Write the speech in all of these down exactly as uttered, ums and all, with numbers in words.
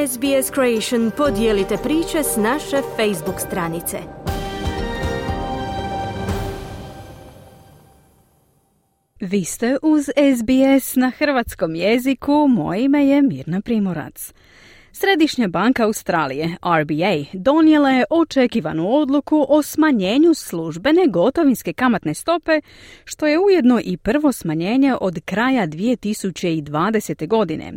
S B S Creation podijelite priče s naše Facebook stranice. Vi ste uz S B S na hrvatskom jeziku, moje ime je Mirna Primorac. Središnja banka Australije, R B A, donijela je očekivanu odluku o smanjenju službene gotovinske kamatne stope, što je ujedno i prvo smanjenje od kraja dvije tisuće dvadesete. godine.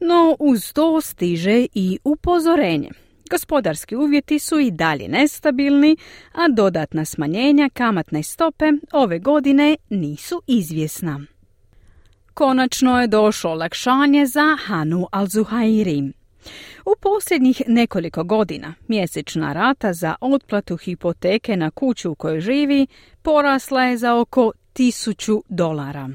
No uz to stiže i upozorenje. Gospodarski uvjeti su i dalje nestabilni, a dodatna smanjenja kamatne stope ove godine nisu izvjesna. Konačno je došlo olakšanje za Hanu Al-Zuhairi. U posljednjih nekoliko godina mjesečna rata za otplatu hipoteke na kuću u kojoj živi porasla je za oko tisuću dolara.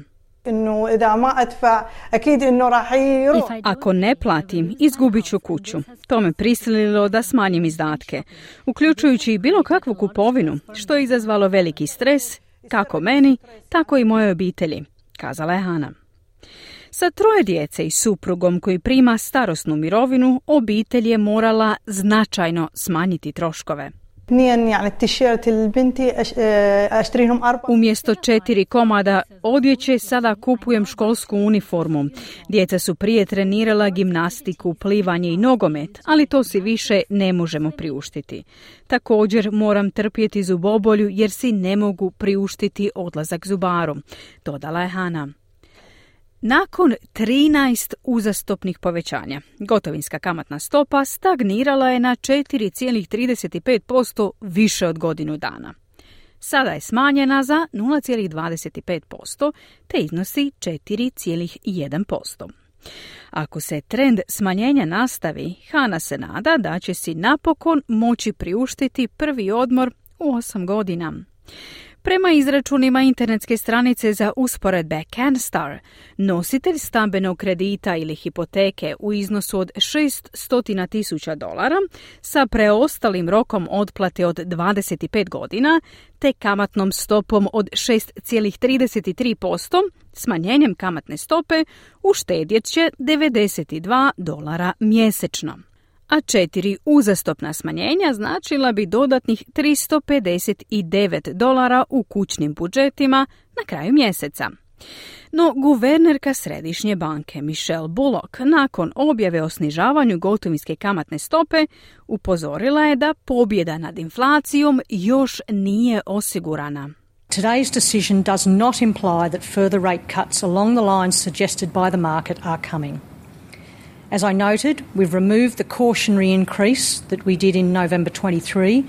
Ako ne platim, izgubit ću kuću. To me prisililo da smanjim izdatke, uključujući i bilo kakvu kupovinu, što je izazvalo veliki stres, kako meni, tako i mojoj obitelji, kazala je Hana. Sa troje djece i suprugom koji prima starosnu mirovinu, obitelj je morala značajno smanjiti troškove. Umjesto četiri komada odjeće sada kupujem školsku uniformu. Djeca su prije trenirala gimnastiku, plivanje i nogomet, ali to si više ne možemo priuštiti. Također moram trpjeti zubobolju jer si ne mogu priuštiti odlazak zubaru, dodala je Hana. Nakon trinaest uzastopnih povećanja, gotovinska kamatna stopa stagnirala je na četiri zarez trideset pet posto više od godinu dana. Sada je smanjena za nula zarez dvadeset pet posto te iznosi četiri zarez jedan posto. Ako se trend smanjenja nastavi, Hana se nada da će si napokon moći priuštiti prvi odmor u osam godina. Prema izračunima internetske stranice za usporedbe CanStar, nositelj stambenog kredita ili hipoteke u iznosu od šesto tisuća dolara sa preostalim rokom otplate od dvadeset pet godina te kamatnom stopom od šest zarez trideset tri posto, smanjenjem kamatne stope uštedjet će devedeset dva dolara mjesečno. A četiri uzastopna smanjenja značila bi dodatnih tristo pedeset devet dolara u kućnim budžetima na kraju mjeseca. No guvernerka Središnje banke Michelle Bullock nakon objave o snižavanju gotovinske kamatne stope upozorila je da pobjeda nad inflacijom još nije osigurana. Today's decision does not imply that further rate cuts along the lines suggested by the market are coming. As I noted, we've removed the cautionary increase that we did in November twenty-three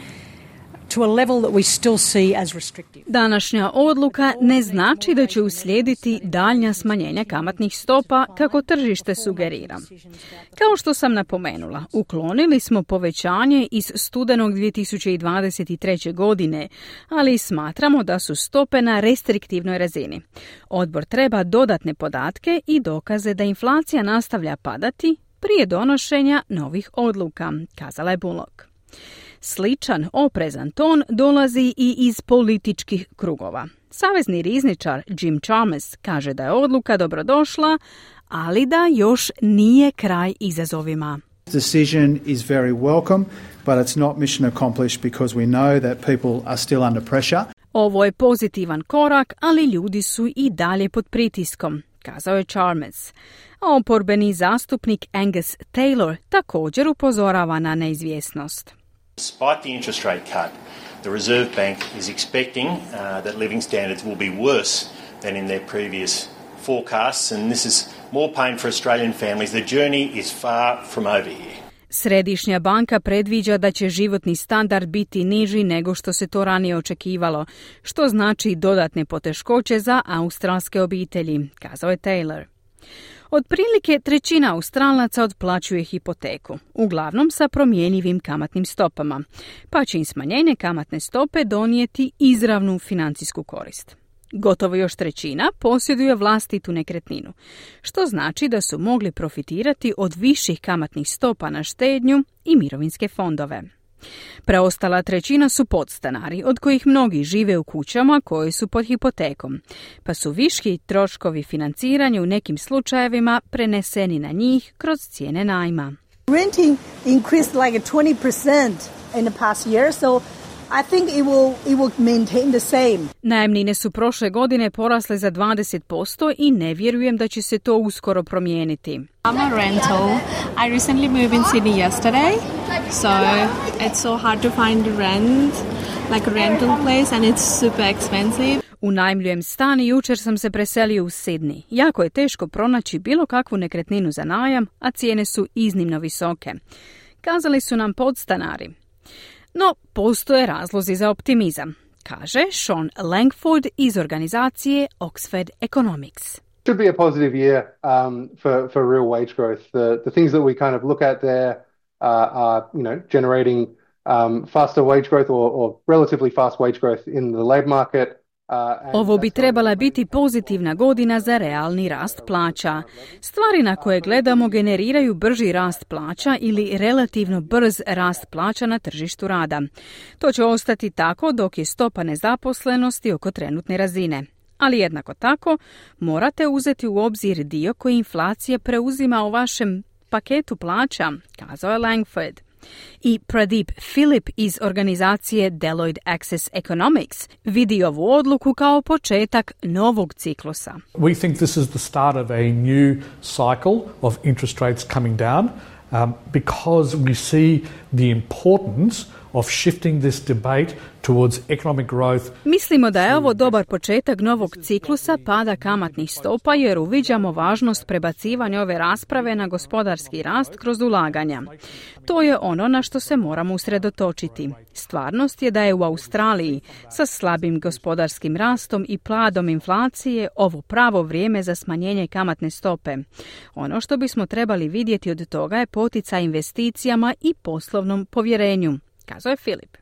to a level that we still see as restrictive. Današnja odluka ne znači da će uslijediti daljnja smanjenja kamatnih stopa kako tržište sugerira. Kao što sam napomenula, uklonili smo povećanje iz studenog dvije tisuće dvadeset treće. godine, ali smatramo da su stope na restriktivnoj razini. Odbor treba dodatne podatke i dokaze da inflacija nastavlja padati prije donošenja novih odluka, kazala je Bullock. Sličan oprezan ton dolazi i iz političkih krugova. Savezni rizničar Jim Chalmers kaže da je odluka dobrodošla, ali da još nije kraj izazovima. Decision is very welcome, but it's not mission accomplished because we know that people are still under pressure. Ovo je pozitivan korak, ali ljudi su i dalje pod pritiskom, kazao je Chalmers. A oporbeni zastupnik Angus Taylor također upozorava na neizvjesnost. Despite the interest rate cut, the Reserve Bank is expecting uh, that living standards will be worse than in their previous forecasts, and this is more pain for Australian families. The journey is far from over here. Središnja banka predviđa da će životni standard biti niži nego što se to ranije očekivalo, što znači dodatne poteškoće za australske obitelji, kazao je Taylor. Otprilike trećina Australaca otplaćuje hipoteku, uglavnom sa promjenjivim kamatnim stopama, pa će im smanjenje kamatne stope donijeti izravnu financijsku korist. Gotovo još trećina posjeduje vlastitu nekretninu, što znači da su mogli profitirati od viših kamatnih stopa na štednju i mirovinske fondove. Preostala trećina su podstanari, od kojih mnogi žive u kućama koje su pod hipotekom, pa su viški troškovi financiranja u nekim slučajevima preneseni na njih kroz cijene najma. Renting increased like twenty percent in the past year, so I think it will it will maintain the same. Najamnine su prošle godine porasle za dvadeset posto i ne vjerujem da će se to uskoro promijeniti. I'm a rental. I recently moved in Sydney yesterday, so it's so hard to find rent, like a rental place, and it's super expensive. Unajmljujem stan i jučer sam se preselio u Sydney. Jako je teško pronaći bilo kakvu nekretninu za najam, a cijene su iznimno visoke. Kazali su nam podstanari. No, postoje razlozi za optimizam, kaže Sean Langford iz organizacije Oxford Economics. Should be a positive year um, for, for real wage growth. The, the things that we kind of look at there uh, are, you know, generating um, faster wage growth or, or relatively fast wage growth in the labour market. Ovo bi trebala biti pozitivna godina za realni rast plaća. Stvari na koje gledamo generiraju brži rast plaća ili relativno brz rast plaća na tržištu rada. To će ostati tako dok je stopa nezaposlenosti oko trenutne razine. Ali jednako tako morate uzeti u obzir dio koji inflacija preuzima u vašem paketu plaća, kazao je Langford. I Pradeep Philip iz organizacije Deloitte Access Economics vidi ovu odluku kao početak novog ciklusa. We think this is the start of a new cycle of interest rates coming down um, because we see the importance of shifting this debate towards economic growth. Mislimo da je ovo dobar početak novog ciklusa pada kamatnih stopa jer uviđamo važnost prebacivanja ove rasprave na gospodarski rast kroz ulaganja. To je ono na što se moramo usredotočiti. Stvarnost je da je u Australiji sa slabim gospodarskim rastom i pladom inflacije ovo pravo vrijeme za smanjenje kamatne stope. Ono što bismo trebali vidjeti od toga je poticaj investicijama i poslovnom povjerenju, kazao je Filip.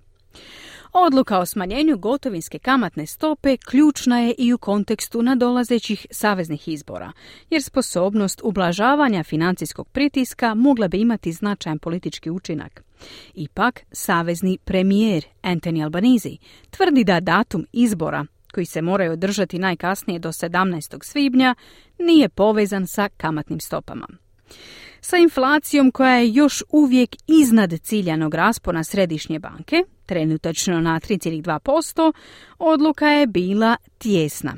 Odluka o smanjenju gotovinske kamatne stope ključna je i u kontekstu nadolazećih saveznih izbora, jer sposobnost ublažavanja financijskog pritiska mogla bi imati značajan politički učinak. Ipak, savezni premijer Anthony Albanese tvrdi da datum izbora, koji se moraju održati najkasnije do sedamnaestog svibnja, nije povezan sa kamatnim stopama. Sa inflacijom koja je još uvijek iznad ciljanog raspona središnje banke, trenutačno na tri zarez dva posto, odluka je bila tijesna.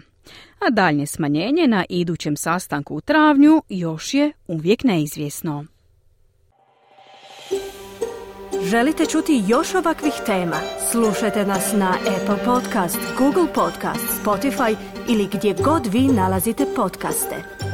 A daljnje smanjenje na idućem sastanku u travnju još je uvijek neizvjesno. Želite čuti još ovakvih tema? Slušajte nas na Apple Podcast, Google Podcast, Spotify ili gdje god vi nalazite podcaste.